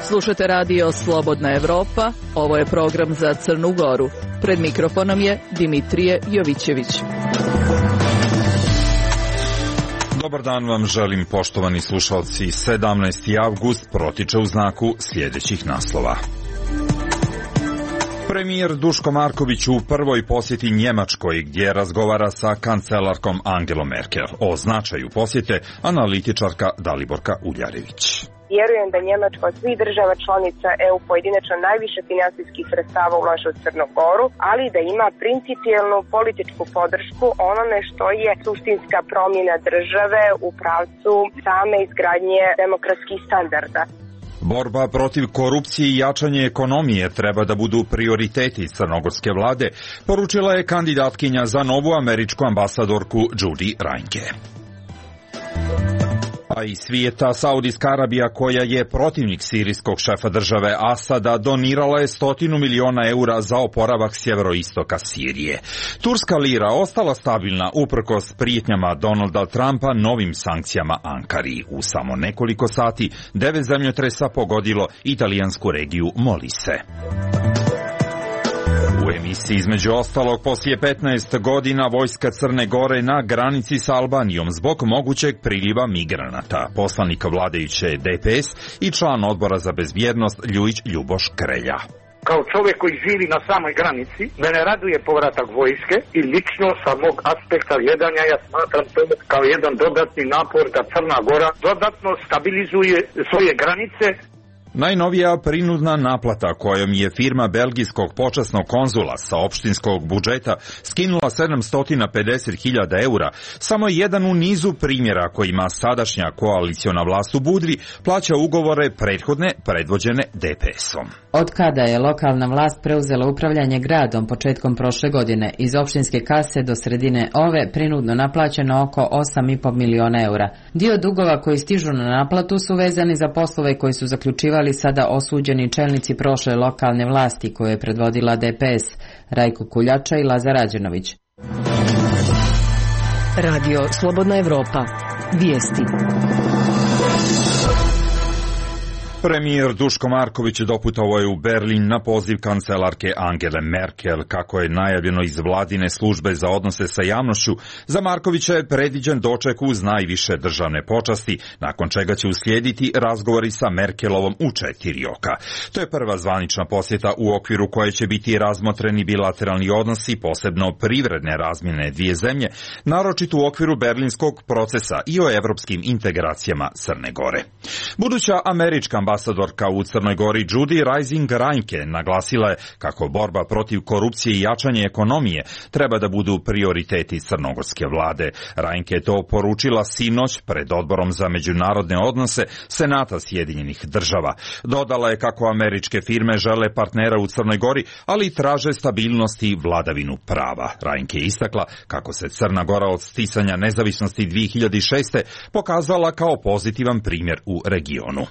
Slušate radio Slobodna Evropa, ovo je program za Crnu Goru. Pred mikrofonom je Dimitrije Jovićević. Dobar dan vam želim, poštovani slušalci. 17. avgust protiče u znaku sljedećih naslova. Premijer Duško Marković u prvoj posjeti Njemačkoj, gdje razgovara sa kancelarkom Angelom Merkel. O značaju posjete analitičarka Daliborka Uljarević. Vjerujem da Njemačka od svih država članica EU pojedinačno najviše finansijskih sredstava ulaže u Crnu Goru, ali da ima principijelnu političku podršku onome što je suštinska promjena države u pravcu same izgradnje demokratskih standarda. Borba protiv korupcije i jačanje ekonomije treba da budu prioriteti crnogorske vlade, poručila je kandidatkinja za novu američku ambasadorku Judy Reinke. A iz svijeta, Saudijska Arabija, koja je protivnik sirijskog šefa države Asada, donirala je 100 miliona eura za oporavak sjeveroistoka Sirije. Turska lira ostala stabilna uprkos prijetnjama Donalda Trumpa novim sankcijama Ankari. U samo nekoliko sati 9 zemljotresa pogodilo italijansku regiju Molise. U emisiji između ostalog, poslije 15 godina vojska Crne Gore na granici sa Albanijom zbog mogućeg priliva migranata. Poslanik vladajuće DPS i član odbora za bezbjednost Ljujić Ljuboš Krelja. Kao čovjek koji živi na samoj granici, mene raduje povratak vojske i lično sa mog aspekta gledanja ja smatram to kao jedan dodatni napor da Crna Gora dodatno stabilizuje svoje granice. Najnovija prinudna naplata kojom je firma belgijskog počasnog konzula sa opštinskog budžeta skinula 750.000 eura, samo jedan u nizu primjera kojima sadašnja koaliciona vlast u Budvi plaća ugovore prethodne predvođene DPS-om. Od kada je lokalna vlast preuzela upravljanje gradom početkom prošle godine, iz opštinske kase do sredine ove prinudno naplaćeno oko 8,5 miliona eura. Dio dugova koji stižu na naplatu su vezani za poslove koji su zaključivali sada osuđeni čelnici prošle lokalne vlasti koje je predvodila DPS, Rajko Kuljača i Lazar Rađenović. Radio Slobodna Evropa. Vijesti. Premijer Duško Marković doputovao je u Berlin na poziv kancelarke Angele Merkel. Kako je najavljeno iz vladine službe za odnose sa javnošću, za Markovića je predviđen doček uz najviše državne počasti, nakon čega će uslijediti razgovori sa Merkelovom u 4 oka. To je prva zvanična posjeta u okviru koje će biti razmotreni bilateralni odnosi, posebno privredne razmjene dvije zemlje, naročito u okviru berlinskog procesa i o evropskim integracijama Crne Gore. Buduća američka ambasadorka u Crnoj Gori Judy Reinke naglasila je kako borba protiv korupcije i jačanje ekonomije treba da budu prioriteti crnogorske vlade. Reinke je to poručila sinoć pred odborom za međunarodne odnose Senata Sjedinjenih država. Dodala je kako američke firme žele partnera u Crnoj Gori, ali traže stabilnost i vladavinu prava. Reinke je istakla kako se Crna Gora od sticanja nezavisnosti 2006. pokazala kao pozitivan primjer u regionu.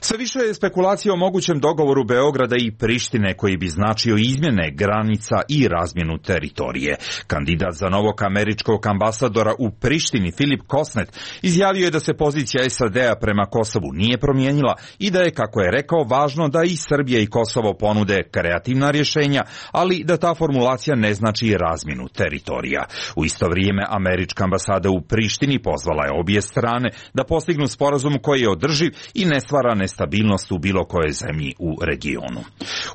Sve više je spekulacija o mogućem dogovoru Beograda i Prištine koji bi značio izmjene granica i razmjenu teritorije. Kandidat za novog američkog ambasadora u Prištini Filip Kosnet izjavio je da se pozicija SAD-a prema Kosovu nije promijenila i da je, kako je rekao, važno da i Srbija i Kosovo ponude kreativna rješenja, ali da ta formulacija ne znači razmjenu teritorija. U isto vrijeme američka ambasada u Prištini pozvala je obje strane da postignu sporazum koji je održiv i ne stvara nestabilnost u bilo kojoj zemlji u regionu.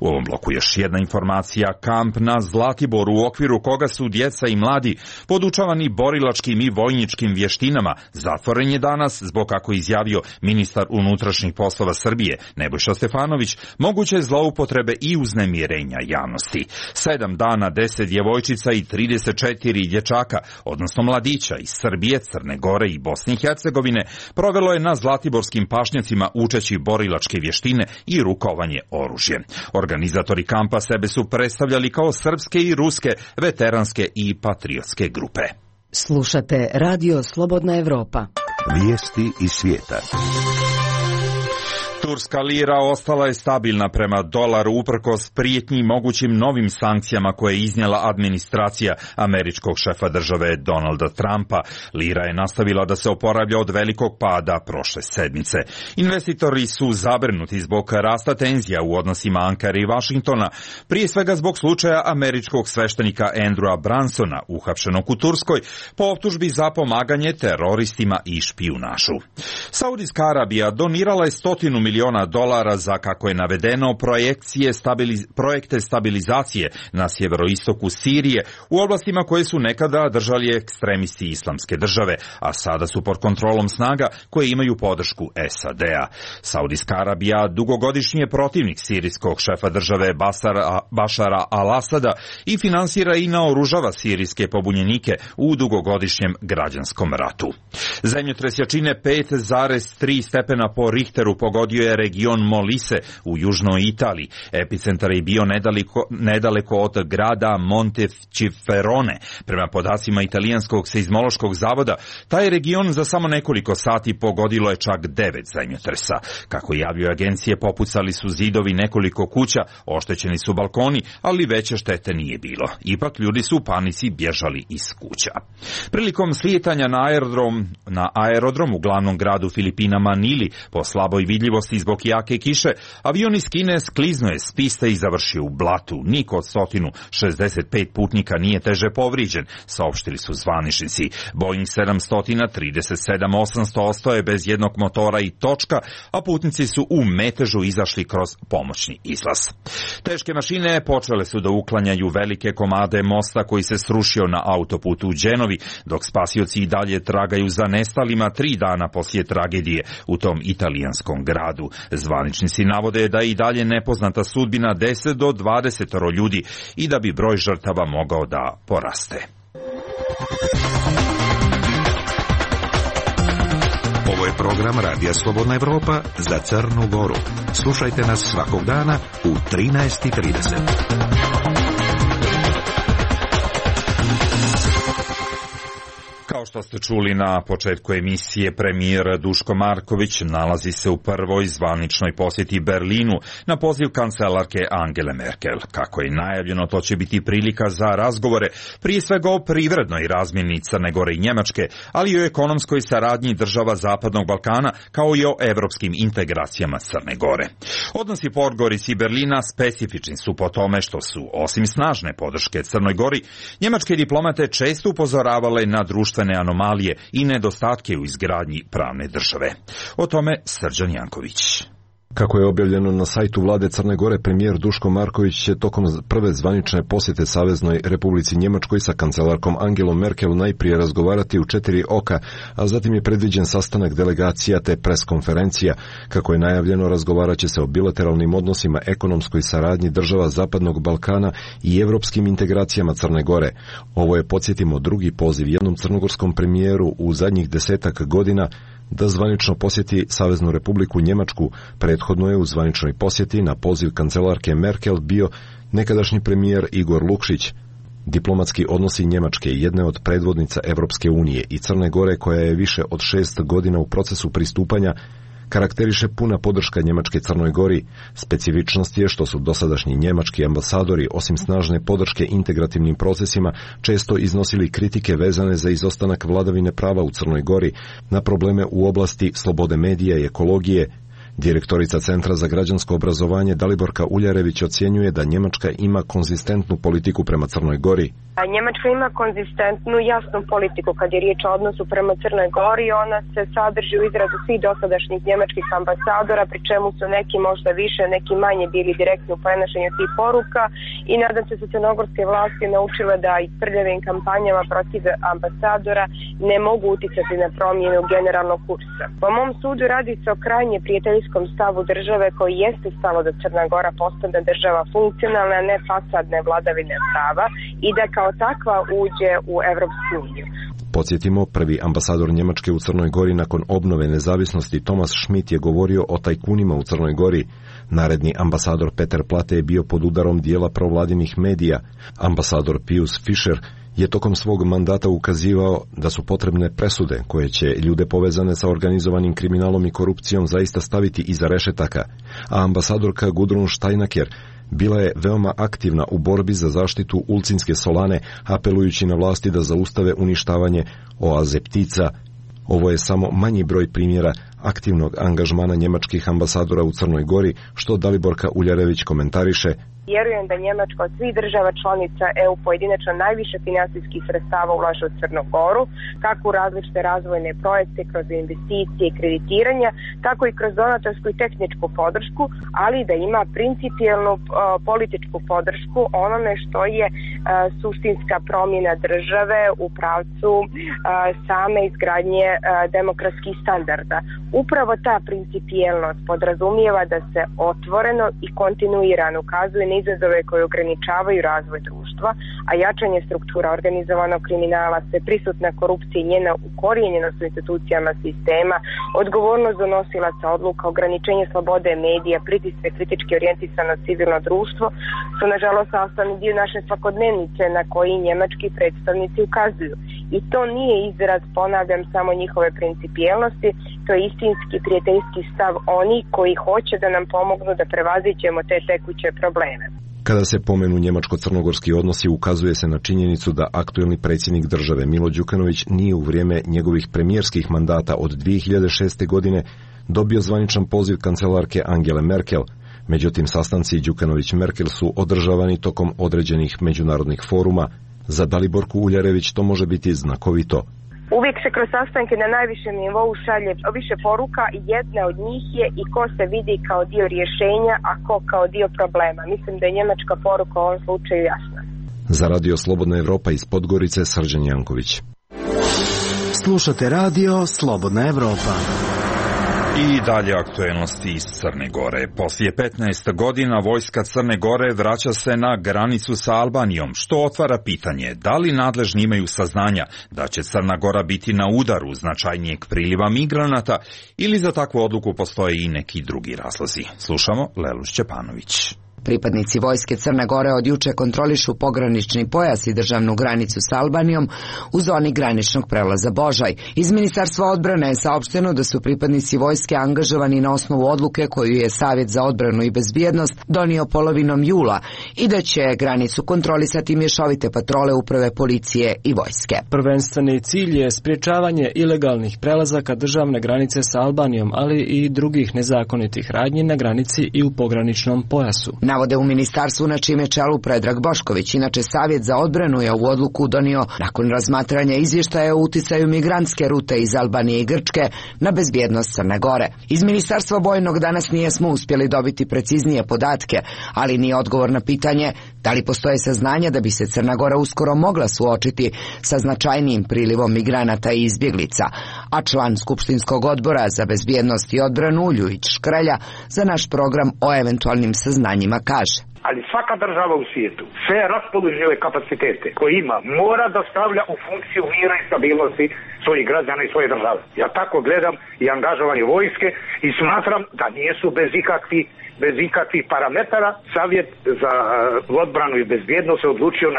U ovom bloku još jedna informacija. Kamp na Zlatiboru, u okviru koga su djeca i mladi podučavani borilačkim i vojničkim vještinama, zatvoren je danas zbog, kako izjavio ministar unutrašnjih poslova Srbije Nebojša Stefanović, moguće zloupotrebe i uznemirenja javnosti. 7 dana 10 djevojčica i 34 dječaka, odnosno mladića iz Srbije, Crne Gore i Bosne i Hercegovine, provelo je na zlatiborskim pašnjacima učeći borilačke vještine i rukovanje oružjem. Organizatori kampa sebe su predstavljali kao srpske i ruske veteranske i patriotske grupe. Slušate Radio Slobodna Evropa. Vijesti iz svijeta. Turska lira ostala je stabilna prema dolaru uprkos prijetnji i mogućim novim sankcijama koje je iznijela administracija američkog šefa države Donalda Trumpa. Lira je nastavila da se oporavlja od velikog pada prošle sedmice. Investitori su zabrinuti zbog rasta tenzija u odnosima Ankare i Vašingtona, prije svega zbog slučaja američkog sveštenika Andrewa Bransona, uhapšenog u Turskoj po optužbi za pomaganje teroristima i špijunašu. Saudijska Arabija donirala je $100 miliona za, kako je navedeno, projekte stabilizacije na sjeveroistoku Sirije u oblastima koje su nekada držali ekstremisti Islamske države, a sada su pod kontrolom snaga koje imaju podršku SAD-a. Saudijska Arabija dugogodišnji je protivnik sirijskog šefa države Bašara al-Asada i finansira i naoružava sirijske pobunjenike u dugogodišnjem građanskom ratu. Zemljotres jačine 5,3 stepena po Richteru pogodio je region Molise u južnoj Italiji. Epicentar je bio nedaleko od grada Montefiorone. Prema podacima italijanskog seizmološkog zavoda, taj region za samo nekoliko sati pogodilo je čak 9 zemljotresa. Kako javljaju agencije, popucali su zidovi nekoliko kuća, oštećeni su balkoni, ali veće štete nije bilo. Ipak ljudi su u panici bježali iz kuća. Prilikom slijetanja na aerodrom u glavnom gradu Filipina Manili, po slaboj vidljivosti zbog jake kiše, avion iz Kine skliznuo je s piste i završio u blatu. Niko od 165 putnika nije teže povrijeđen, saopštili su zvaničnici. Boeing 737-800 ostao je bez jednog motora i točka, a putnici su u metežu izašli kroz pomoćni izlaz. Teške mašine počele su da uklanjaju velike komade mosta koji se srušio na autoputu u Genovi, dok spasioci i dalje tragaju za nestalima 3 dana poslije tragedije u tom italijanskom gradu. Zvaničnici navode da je i dalje nepoznata sudbina 10 do 20 ljudi i da bi broj žrtava mogao da poraste. Ovo je program Radija Slobodna Evropa za Crnu Goru. Slušajte nas svakog dana u 13:30. Kao što ste čuli na početku emisije, premijer Duško Marković nalazi se u prvoj zvaničnoj posjeti Berlinu na poziv kancelarke Angele Merkel. Kako je najavljeno, to će biti prilika za razgovore, prije svega o privrednoj razmjeni Crne Gore i Njemačke, ali i o ekonomskoj saradnji država Zapadnog Balkana, kao i o evropskim integracijama Crne Gore. Odnosi Podgorice i Berlina specifični su po tome što su, osim snažne podrške Crnoj Gori, njemačke diplomate često upozoravale na društvene anomalije i nedostatke u izgradnji pravne države. O tome Srđan Janković. Kako je objavljeno na sajtu vlade Crne Gore, premijer Duško Marković će tokom prve zvanične posjete Saveznoj Republici Njemačkoj sa kancelarkom Angelom Merkel najprije razgovarati u 4 oka, a zatim je predviđen sastanak delegacija te preskonferencija. Kako je najavljeno, razgovarat će se o bilateralnim odnosima, ekonomskoj saradnji država Zapadnog Balkana i evropskim integracijama Crne Gore. Ovo je, podsjetimo, drugi poziv jednom crnogorskom premijeru u zadnjih 10 godina da zvanično posjeti Saveznu Republiku Njemačku. Prethodno je u zvaničnoj posjeti na poziv kancelarke Merkel bio nekadašnji premijer Igor Lukšić. Diplomatski odnosi Njemačke, jedne od predvodnica Evropske unije, i Crne Gore, koja je više od 6 godina u procesu pristupanja, karakteriše puna podrška Njemačke Crnoj Gori. Specifičnost je što su dosadašnji njemački ambasadori, osim snažne podrške integrativnim procesima, često iznosili kritike vezane za izostanak vladavine prava u Crnoj Gori, na probleme u oblasti slobode medija i ekologije. Direktorica Centra za građansko obrazovanje Daliborka Uljarević ocjenjuje da Njemačka ima konzistentnu politiku prema Crnoj Gori. Njemačka ima konzistentnu, jasnu politiku kad je riječ o odnosu prema Crnoj Gori. Ona se sadrži u izrazu svih dosadašnjih njemačkih ambasadora, pri čemu su neki možda više, neki manje bili direktni u prenošenju tih poruka, i nadam se su crnogorske vlasti naučile da i prljavim kampanjama protiv ambasadora ne mogu uticati na promjenu generalnog kursa. Po mom sudu radi se o krajnje prijateljskom stavu države koji jeste stalo da Crna Gora postane država funkcionalna, ne fasadne vladavine prava, i da kao takva uđe u Evropsku uniju. Podsjetimo, prvi ambasador Njemačke u Crnoj Gori nakon obnove nezavisnosti Thomas Schmidt je govorio o tajkunima u Crnoj Gori. Naredni ambasador Peter Plate je bio pod udarom dijela provladinih medija. Ambasador Pius Fischer je tokom svog mandata ukazivao da su potrebne presude koje će ljude povezane sa organizovanim kriminalom i korupcijom zaista staviti iza rešetaka, a ambasadorka Gudrun Steinaker bila je veoma aktivna u borbi za zaštitu ulcinske solane, apelujući na vlasti da zaustave uništavanje oaze ptica. Ovo je samo manji broj primjera aktivnog angažmana njemačkih ambasadora u Crnoj Gori, što Daliborka Uljarević komentariše. Vjerujem da Njemačka od svih država članica EU pojedinačno najviše finansijskih sredstava ulaže u Crnu Goru, kako u različite razvojne projekte, kroz investicije i kreditiranja, tako i kroz donatorsku i tehničku podršku, ali da ima principijelnu političku podršku onome što je suštinska promjena države u pravcu same izgradnje demokratskih standarda. Upravo ta principijelnost podrazumijeva da se otvoreno i kontinuirano ukazuje na izazove koje ograničavaju razvoj društva, a jačanje struktura organizovanog kriminala, sve prisutna korupcija i njena ukorijenjenost u institucijama sistema, odgovornost donosilaca odluka, ograničenje slobode medija, pritiske kritički orijentisano civilno društvo su nažalost sastavni dio naše svakodnevnice na koji njemački predstavnici ukazuju. I to nije izraz, ponavljam, samo njihove principijelnosti, to je istinski prijateljski stav oni koji hoće da nam pomognu da prevaziđemo te tekuće probleme. Kada se pomenu njemačko-crnogorski odnosi, ukazuje se na činjenicu da aktuelni predsjednik države Milo Đukanović nije u vrijeme njegovih premijerskih mandata od 2006. godine dobio zvaničan poziv kancelarke Angele Merkel. Međutim, sastanci Đukanović-Merkel su održavani tokom određenih međunarodnih foruma. Za Daliborku Uljarević to može biti znakovito. Uvijek se kroz sastanke na najvišem nivou šalje više poruka i jedna od njih je i ko se vidi kao dio rješenja, a ko kao dio problema. Mislim da je njemačka poruka u ovom slučaju jasna. Za Radio Slobodna Evropa iz Podgorice, Srđan Janković. Slušate Radio Slobodna Evropa. I dalje aktuelnosti iz Crne Gore. Poslije 15 godina vojska Crne Gore vraća se na granicu sa Albanijom, što otvara pitanje da li nadležni imaju saznanja da će Crna Gora biti na udaru značajnijeg priliva migranata ili za takvu odluku postoje i neki drugi razlozi. Slušamo Lelu Šćepanović. Pripadnici vojske Crne Gore od juče kontrolišu pogranični pojas i državnu granicu s Albanijom u zoni graničnog prelaza Božaj. Iz Ministarstva odbrane je saopšteno da su pripadnici vojske angažovani na osnovu odluke koju je Savjet za odbranu i bezbjednost donio polovinom jula i da će granicu kontrolisati mješovite patrole uprave policije i vojske. Prvenstveni cilj je sprječavanje ilegalnih prelazaka državne granice sa Albanijom, ali i drugih nezakonitih radnji na granici i u pograničnom pojasu. Navode u ministarstvu na čime čelu Predrag Bošković. Inače, Savjet za odbranu je ovu odluku donio nakon razmatranja izvještaja o uticaju migrantske rute iz Albanije i Grčke na bezbjednost Crne Gore. Iz Ministarstva vojnog danas nismo uspjeli dobiti preciznije podatke, ali ni odgovor na pitanje da li postoje saznanja da bi se Crna Gora uskoro mogla suočiti sa značajnijim prilivom migranata i izbjeglica. A član Skupštinskog odbora za bezbjednost i odbranu Ljujić Škrelja za naš program o eventualnim saznanjima kaže: ali svaka država u svijetu sve raspoložive kapacitete koje ima mora da stavlja u funkciju mira i stabilnosti svojih građana i svoje države. Ja tako gledam i angažovanje vojske i smatram da nisu bez ikakvih parametara. Savjet za odbranu i bezbjednost se odlučio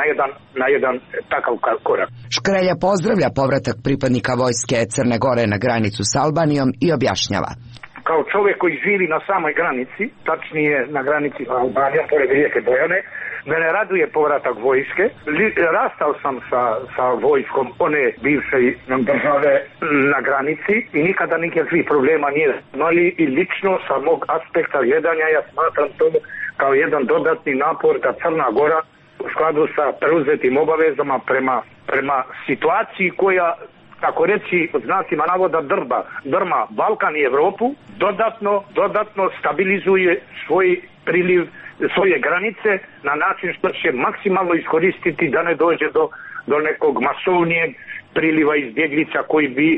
na jedan takav korak. Škrelja pozdravlja povratak pripadnika vojske Crne Gore na granicu s Albanijom i objašnjava: kao čovjek koji živi na samoj granici, tačnije na granici Albanija, pored rijeke Bojane, mene raduje povratak vojske. Rastao sam sa vojskom one bivše države na granici i nikada nikakvih problema nije imali i lično sa mog aspekta gledanja ja smatram to kao jedan dodatni napor da Crna Gora u skladu sa preuzetim obavezama prema situaciji koja, tako reći, od znacima navoda drma Balkan i Evropu, dodatno stabilizuje svoj priliv, svoje granice na način što će maksimalno iskoristiti da ne dođe do nekog masovnijeg priliva izbjeglica koji bi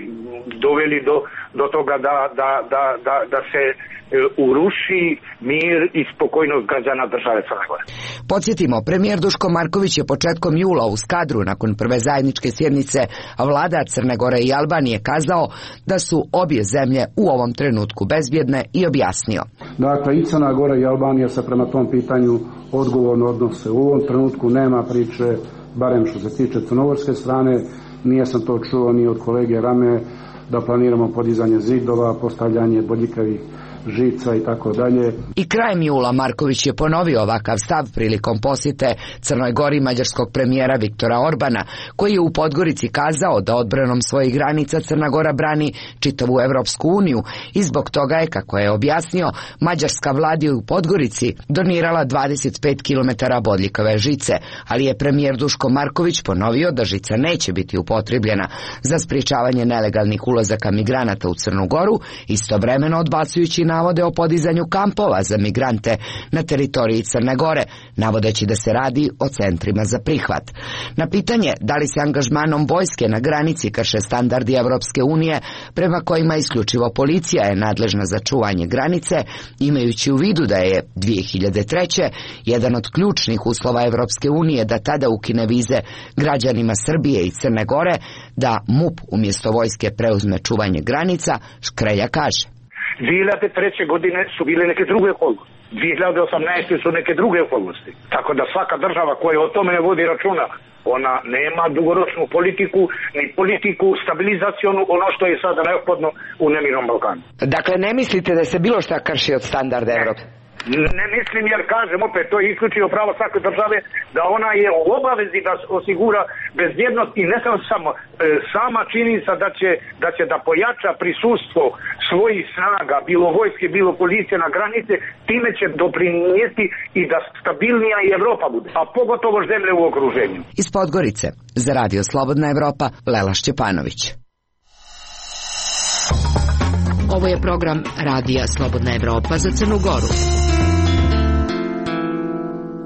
doveli do toga da se uruši mir i spokojnost građana države Crne Gore. Podsjetimo, premijer Duško Marković je početkom jula u Skadru nakon prve zajedničke sjednice vlada Crne Gore i Albanije kazao da su obje zemlje u ovom trenutku bezbjedne i objasnio: dakle, i Crna Gora i Albanija se prema tom pitanju odgovorno odnose. U ovom trenutku nema priče barem što se tiče crnogorske strane. Nije sam to čuo ni od kolege Rame da planiramo podizanje zidova, postavljanje bodljikavih žica i tako dalje. I krajem jula Marković je ponovio ovakav stav prilikom posjete Crnoj Gori mađarskog premijera Viktora Orbana, koji je u Podgorici kazao da odbranom svojih granica Crna Gora brani čitavu Evropsku uniju i zbog toga je, kako je objasnio, mađarska vlada u Podgorici donirala 25 km bodljikave žice, ali je premijer Duško Marković ponovio da žica neće biti upotrebljena za sprječavanje nelegalnih ulazaka migranata u Crnu Goru, istovremeno odbacujući navode o podizanju kampova za migrante na teritoriji Crne Gore, navodeći da se radi o centrima za prihvat. Na pitanje da li se angažmanom vojske na granici krše standardi Evropske unije, prema kojima isključivo policija je nadležna za čuvanje granice, imajući u vidu da je 2003. jedan od ključnih uslova Evropske unije da tada ukine vize građanima Srbije i Crne Gore, da MUP umjesto vojske preuzme čuvanje granica, Škrelja kaže: 2003. godine su bile neke druge okolnosti. 2018. su neke druge okolnosti. Tako da svaka država koja o tome ne vodi računa, ona nema dugoročnu politiku, ni politiku stabilizacionu, ono što je sada neophodno u nemirnom Balkanu. Dakle, ne mislite da se bilo šta krši od standarda Evrope? Ne mislim, jer kažem opet, to je isključivo pravo svake države da ona je u obavezi da osigura bezbjednost i ne samo sama činjenica da će da pojača prisustvo svojih snaga, bilo vojske, bilo policije na granice, time će doprinijeti i da stabilnija i Evropa bude, a pogotovo zemlje u okruženju. Iz Podgorice, za Radio Slobodna Evropa, Lela Šćepanović. Ovo je program Radija Slobodna Evropa za Crnu Goru.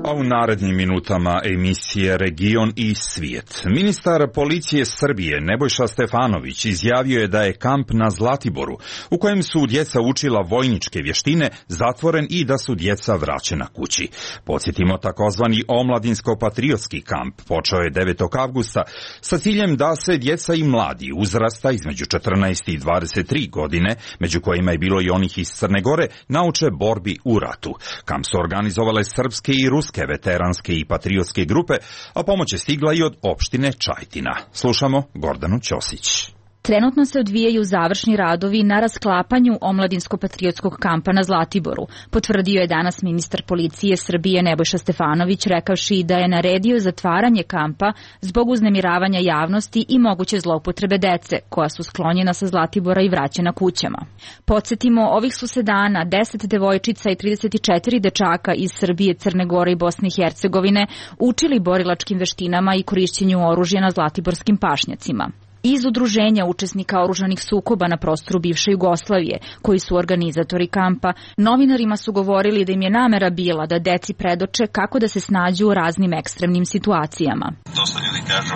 A u narednim minutama emisije Region i svijet. Ministar policije Srbije Nebojša Stefanović izjavio je da je kamp na Zlatiboru, u kojem su djeca učila vojničke vještine, zatvoren i da su djeca vraćena kući. Podsjetimo, takozvani omladinsko-patriotski kamp počeo je 9. avgusta sa ciljem da se djeca i mladi uzrasta između 14 i 23 godine, među kojima je bilo i onih iz Crne Gore, nauče borbi u ratu. Kamp su organizovale srpske i ruske veteranske i patriotske grupe, a pomoć je stigla i od opštine Čajtina. Slušamo Gordanu Ćosić. Trenutno se odvijaju završni radovi na rasklapanju omladinsko-patriotskog kampa na Zlatiboru, potvrdio je danas ministar policije Srbije Nebojša Stefanović, rekavši da je naredio zatvaranje kampa zbog uznemiravanja javnosti i moguće zloupotrebe dece, koja su sklonjena sa Zlatibora i vraćena kućama. Podsjetimo, ovih su se dana 10 devojčica i 34 dečaka iz Srbije, Crne Gore i Bosne i Hercegovine učili borilačkim veštinama i korišćenju oružja na zlatiborskim pašnjacima. Iz udruženja učesnika oružanih sukoba na prostoru bivše Jugoslavije, koji su organizatori kampa, novinarima su govorili da im je namera bila da deci predoče kako da se snađu u raznim ekstremnim situacijama. Dosta ljudi kaže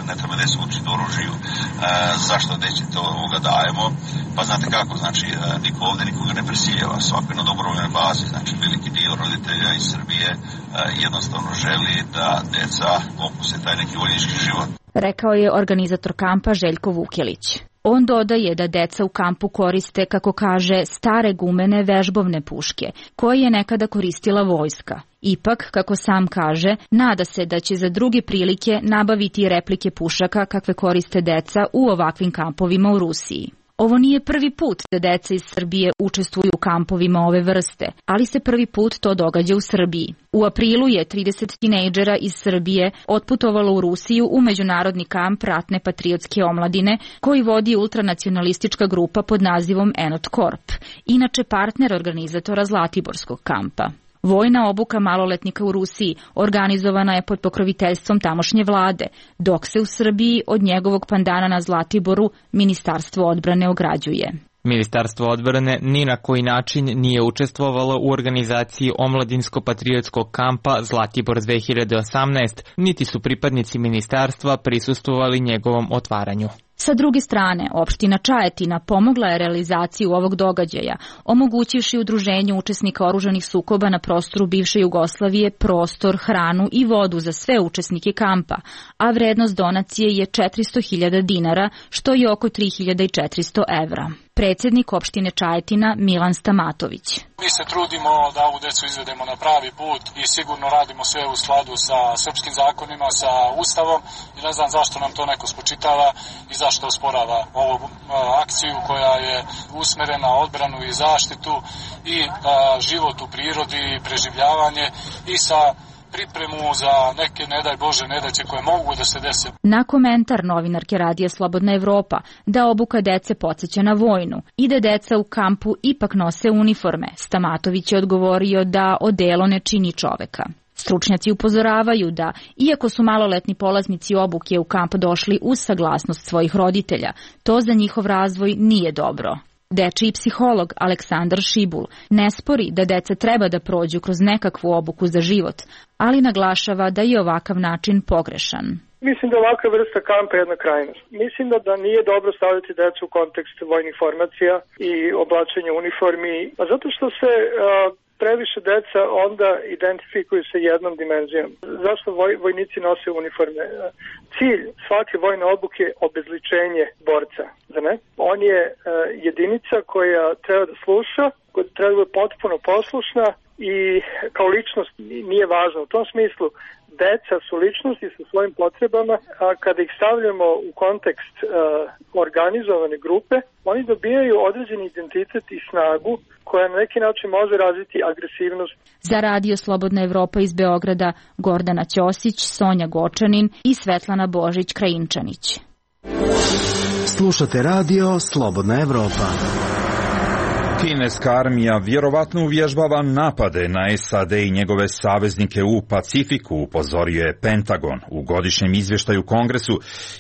ne treba da se učiti oružju, zašto deci to dajemo? Pa znate kako, znači niko ovde nikoga ne prisiljava, svako je na dobrovoljnoj bazi, znači veliki dio roditelja iz Srbije jednostavno želi da deca okuse taj neki vojnički život. Rekao je organizator kampa Željko Vukelić. On dodaje da deca u kampu koriste, kako kaže, stare gumene vežbovne puške, koje je nekada koristila vojska. Ipak, kako sam kaže, nada se da će za druge prilike nabaviti replike pušaka kakve koriste deca u ovakvim kampovima u Rusiji. Ovo nije prvi put da deca iz Srbije učestvuju u kampovima ove vrste, ali se prvi put to događa u Srbiji. U aprilu je 30 tinejdžera iz Srbije otputovalo u Rusiju u međunarodni kamp ratne patriotske omladine koji vodi ultranacionalistička grupa pod nazivom Enot Korp, inače partner organizatora Zlatiborskog kampa. Vojna obuka maloletnika u Rusiji organizovana je pod pokroviteljstvom tamošnje vlade, dok se u Srbiji od njegovog pandana na Zlatiboru Ministarstvo odbrane ograđuje. Ministarstvo odbrane ni na koji način nije učestvovalo u organizaciji omladinsko-patriotskog kampa Zlatibor 2018, niti su pripadnici ministarstva prisustvovali njegovom otvaranju. Sa druge strane, opština Čajetina pomogla je realizaciju ovog događaja, omogućivši udruženju učesnika oružanih sukoba na prostoru bivše Jugoslavije prostor, hranu i vodu za sve učesnike kampa, a vrednost donacije je 400.000 dinara, što je oko 3.400 evra. predsjednik opštine Čajetina Milan Stamatović. Mi se trudimo da ovu decu izvedemo na pravi put i sigurno radimo sve u skladu sa srpskim zakonima, sa Ustavom i ne znam zašto nam to neko spočitava i zašto osporava ovu akciju koja je usmerena na odbranu i zaštitu i život u prirodi, preživljavanje i sa pripremu za neke, ne daj Bože, nedaće koje mogu da se dese. Na komentar novinarke Radija Slobodna Evropa da obuka dece podsjeća na vojnu i da deca u kampu ipak nose uniforme, Stamatović je odgovorio da odelo ne čini čoveka. Stručnjaci upozoravaju da, iako su maloletni polaznici obuke u kamp došli uz saglasnost svojih roditelja, to za njihov razvoj nije dobro. Dečiji psiholog Aleksandar Šibul ne spori da deca treba da prođu kroz nekakvu obuku za život, ali naglašava da je ovakav način pogrešan. Mislim da ovakva vrsta kampa je jedna krajnost. Mislim da nije dobro staviti decu u kontekst vojnih formacija i oblačenja uniformi, zato što se previše deca onda identifikuju sa jednom dimenzijom. Zašto vojnici nose uniforme? Cilj svake vojne obuke je obezličenje borca. Ne? On je jedinica koja treba da sluša, koja treba da bude potpuno poslušna i kao ličnost nije važna. U tom smislu deca su ličnosti sa svojim potrebama, a kada ih stavljamo u kontekst organizovane grupe, oni dobijaju određeni identitet i snagu koja na neki način može razviti agresivnost. Za Radio Slobodna Evropa iz Beograda Gordana Ćosić, Sonja Gočanin i Svetlana Božić-Krajinčanić. Slušate Radio Slobodna Evropa. Kineska armija vjerovatno uvježbava napade na SAD i njegove saveznike u Pacifiku, upozorio je Pentagon. U godišnjem izvještaju Kongresu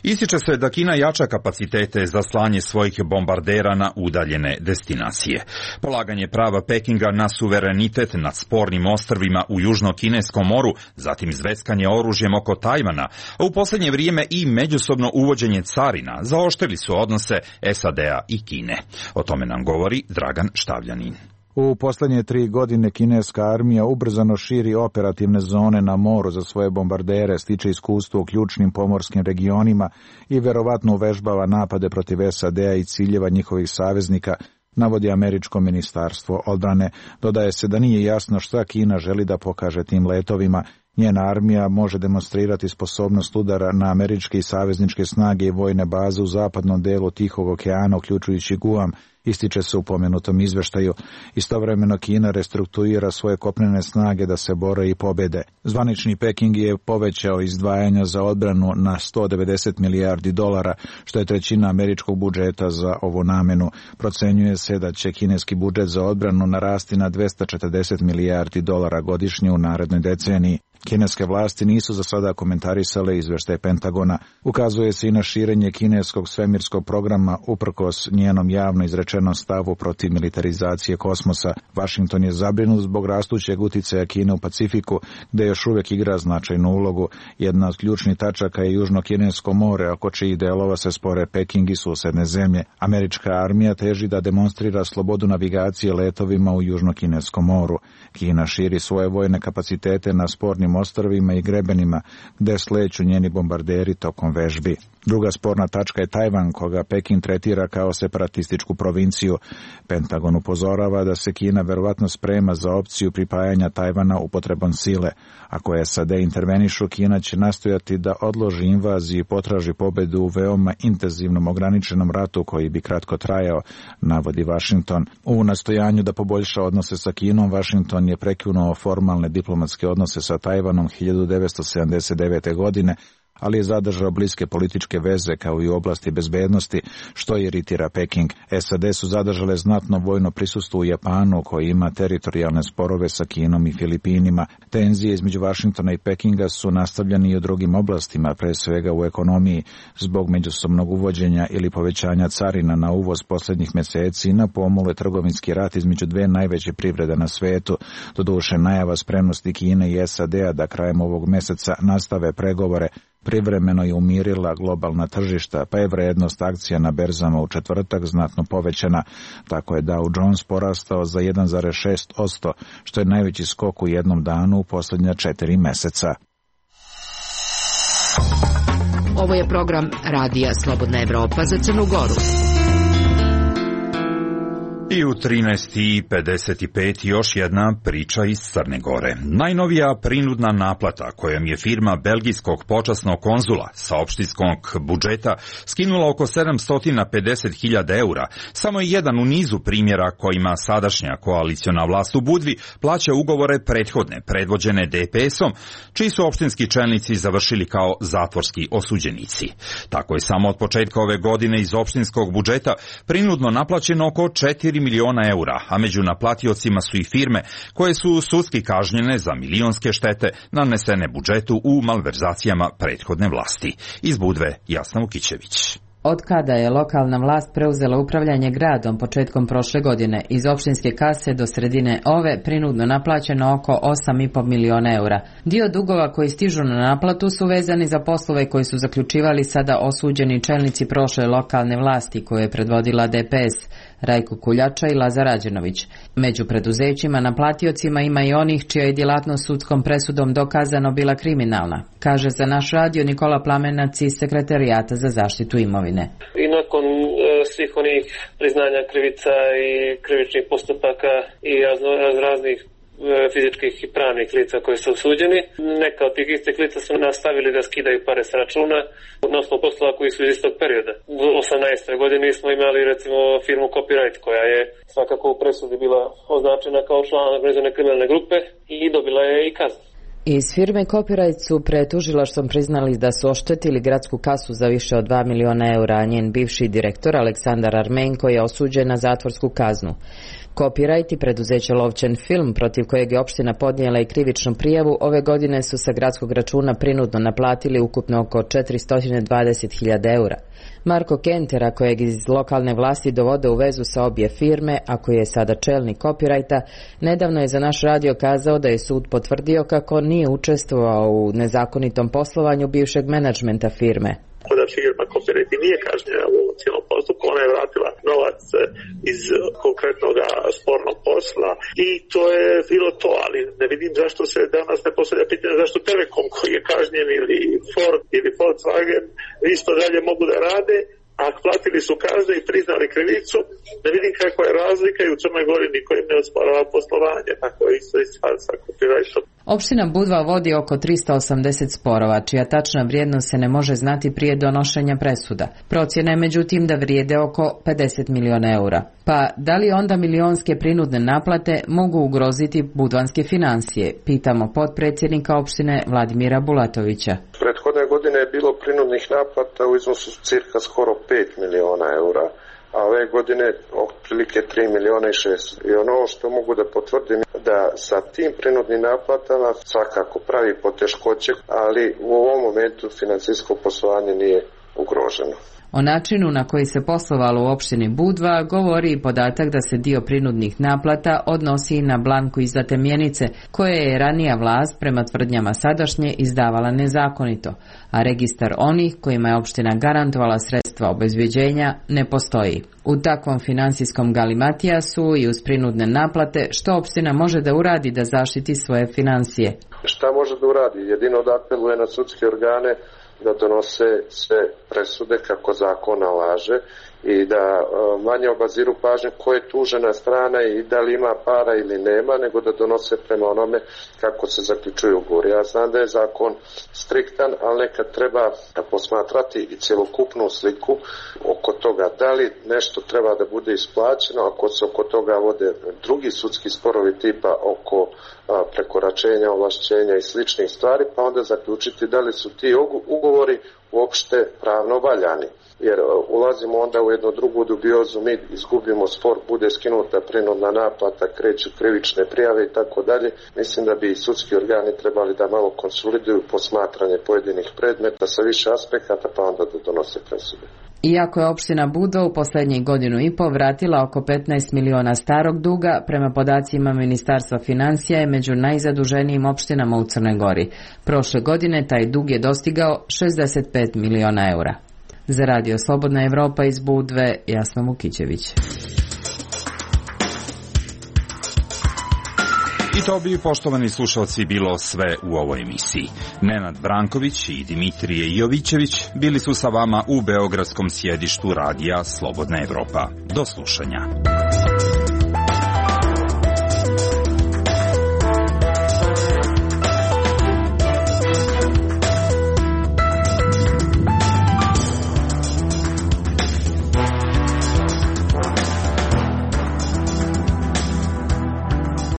ističe se da Kina jača kapacitete za slanje svojih bombardera na udaljene destinacije. Polaganje prava Pekinga na suverenitet nad spornim ostrvima u Južno-Kineskom moru, zatim zveckanje oružjem oko Tajvana, a u posljednje vrijeme i međusobno uvođenje carina zaoštrili su odnose SAD-a i Kine. O tome nam govori Dragan Štavljanin. U posljednje 3 godine kineska armija ubrzano širi operativne zone na moru za svoje bombardere, stiče iskustvo u ključnim pomorskim regionima i verovatno uvežbava napade protiv SAD-a i ciljeva njihovih saveznika, navodi američko ministarstvo odbrane. Dodaje se da nije jasno šta Kina želi da pokaže tim letovima. Njena armija može demonstrirati sposobnost udara na američke i savezničke snage i vojne baze u zapadnom delu Tihog okeana, uključujući Guam, ističe se u pomenutom izveštaju. Istovremeno Kina restrukturira svoje kopnene snage da se bore i pobede. Zvanični Peking je povećao izdvajanja za odbranu na $190 milijardi, što je trećina američkog budžeta za ovu namenu. Procenjuje se da će kineski budžet za odbranu narasti na $240 milijardi godišnje u narednoj deceniji. Kineske vlasti nisu za sada komentarisale izveštaj Pentagona. Ukazuje se i na širenje kineskog svemirskog programa uprkos njenom javno izrečenom stavu protiv militarizacije kosmosa. Washington je zabrinut zbog rastućeg uticaja Kine u Pacifiku, gde još uvijek igra značajnu ulogu. Jedna od ključnih tačaka je Južno-Kinesko more, oko čijih delova se spore Peking i susedne zemlje. Američka armija teži da demonstrira slobodu navigacije letovima u Južno-Kineskom moru. Kina širi svoje vojne kapacitete na spornim ostrvima i grebenima, gde sleću njeni bombarderi tokom vežbi. Druga sporna tačka je Tajvan, koga Peking tretira kao separatističku provinciju. Pentagon upozorava da se Kina verovatno sprema za opciju pripajanja Tajvana upotrebom sile. Ako SAD intervenišu, Kina će nastojati da odloži invaziju i potraži pobedu u veoma intenzivnom ograničenom ratu koji bi kratko trajao, navodi Washington. U nastojanju da poboljša odnose sa Kinom, Washington je prekinuo formalne diplomatske odnose sa Tajvanom 1979. godine, ali je zadržao bliske političke veze kao i u oblasti bezbednosti, što iritira Peking. SAD su zadržale znatno vojno prisustvo u Japanu, koji ima teritorijalne sporove sa Kinom i Filipinima. Tenzije između Vašingtona i Pekinga su nastavljeni i u drugim oblastima, pre svega u ekonomiji, zbog međusobnog uvođenja ili povećanja carina na uvoz posljednjih mjeseci na pomolu je trgovinski rat između dve najveće privrede na svetu. Doduše, najava spremnosti Kine i SAD-a da krajem ovog mjeseca nastave pregovore privremeno je umirila globalna tržišta, pa je vrednost akcija na berzama u četvrtak znatno povećana. Tako je Dow Jones porastao za 1,6%, što je najveći skok u jednom danu u posljednja 4 mjeseca. Ovo je program Radija Slobodna Evropa za Crnu Goru. I u 13:55 još jedna priča iz Crne Gore. Najnovija prinudna naplata kojom je firma belgijskog počasnog konzula sa opštinskog budžeta skinula oko 750.000 eura, samo je jedan u nizu primjera kojima sadašnja koaliciona vlast u Budvi plaća ugovore prethodne, predvođene DPS-om, čiji su opštinski čelnici završili kao zatvorski osuđenici. Tako je samo od početka ove godine iz opštinskog budžeta prinudno naplaćeno oko 4 miliona eura, a među naplatiocima su i firme koje su sudski kažnjene za milionske štete nanesene budžetu u malverzacijama prethodne vlasti. Iz Budve, Jasna Vukićević. Od kada je lokalna vlast preuzela upravljanje gradom početkom prošle godine, iz opštinske kase do sredine ove prinudno naplaćeno oko 8,5 miliona eura. Dio dugova koji stižu na naplatu su vezani za poslove koji su zaključivali sada osuđeni čelnici prošle lokalne vlasti koje je predvodila DPS, Rajko Kuljača i Lazar Rađenović. Među preduzećima naplatiocima ima i onih čija je djelatnost sudskom presudom dokazano bila kriminalna, kaže za naš radio Nikola Plamenac iz Sekretarijata za zaštitu imovine. I nakon svih onih priznanja krivica i krivičnih postupaka i raznih fizičkih i pravnih lica koji su osuđeni, neka od tih istih lica su nastavili da skidaju pare s računa na osnovu poslova koji su iz istog perioda. U 18. godini smo imali recimo firmu Copyright koja je svakako u presudi bila označena kao član organizovane kriminalne grupe i dobila je i kaznu. Iz firme Copyright su pred tužilaštvom priznali da su oštetili gradsku kasu za više od 2 miliona eura, a njen bivši direktor Aleksandar Armenko je osuđen na zatvorsku kaznu. Copyright i preduzeće Lovćen film, protiv kojeg je opština podnijela i krivičnu prijavu, ove godine su sa gradskog računa prinudno naplatili ukupno oko 420.000 eura. Marko Kentera, kojeg iz lokalne vlasti dovode u vezu sa obje firme, a koji je sada čelnik Copyrighta, nedavno je za naš radio kazao da je sud potvrdio kako nije učestvovao u nezakonitom poslovanju bivšeg menadžmenta firme. Da firma Copyright nije kažnjena u cijelom postupku, ona je vratila novac iz konkretnog spornog posla i to je bilo to, ali ne vidim zašto se danas ne postavlja pitanje zašto Telekom koji je kažnjen ili Ford ili Volkswagen isto dalje mogu da rade, a platili su kazne i priznali krivicu, ne vidim kakva je razlika i u Crnoj Gori niko im ne osporava poslovanje, tako je isto i sa Copyrightom. Opština Budva vodi oko 380 sporova, čija tačna vrijednost se ne može znati prije donošenja presuda. Procjena je međutim da vrijede oko 50 miliona eura. Pa da li onda milionske prinudne naplate mogu ugroziti budvanske financije? Pitamo potpredsjednika opštine Vladimira Bulatovića. Prethodne godine je bilo prinudnih naplata u iznosu cirka skoro 5 miliona eura, a ove godine otprilike 3 miliona i 600. I ono što mogu da potvrdim da sa tim prinudnim naplatama svakako pravi poteškoće, ali u ovom momentu financijsko poslovanje nije ugroženo. O načinu na koji se poslovalo u opštini Budva govori i podatak da se dio prinudnih naplata odnosi i na blanku izdate mjenice koje je ranija vlast prema tvrdnjama sadašnje izdavala nezakonito, a registar onih kojima je opština garantovala sredstva obezbeđenja ne postoji. U takvom finansijskom galimatijasu i uz prinudne naplate što opština može da uradi da zaštiti svoje financije? Šta može da uradi? Jedino da apeluje na sudske organe da donose sve presude kako zakon nalaže i da manje obaziru pažnju ko je tužena strana i da li ima para ili nema, nego da donose prema onome kako se zaključuju ugovori. Ja znam da je zakon striktan, ali nekad treba posmatrati i cjelokupnu sliku oko toga da li nešto treba da bude isplaćeno, ako se oko toga vode drugi sudski sporovi tipa oko prekoračenja, ovlašćenja i sličnih stvari, pa onda zaključiti da li su ti ugovori uopšte pravno valjani. Jer ulazimo onda u jednu drugu dubiozu, mi izgubimo spor, bude skinuta prinudna naplata, kreću krivične prijave i tako dalje. Mislim da bi i sudski organi trebali da malo konsoliduju posmatranje pojedinih predmeta sa više aspekata, pa onda da donose presude. Iako je opština Budva u posljednjih godinu i pol vratila oko 15 miliona starog duga, prema podacima Ministarstva financija je među najzaduženijim opštinama u Crnoj Gori. Prošle godine taj dug je dostigao 65 miliona eura. Za radio Slobodna Evropa iz Budve, Jasna Vukićević. I to bi, poštovani slušalci, bilo sve u ovoj emisiji. Nenad Branković i Dimitrije Jovićević bili su sa vama u beogradskom sjedištu radija Slobodna Evropa. Do slušanja.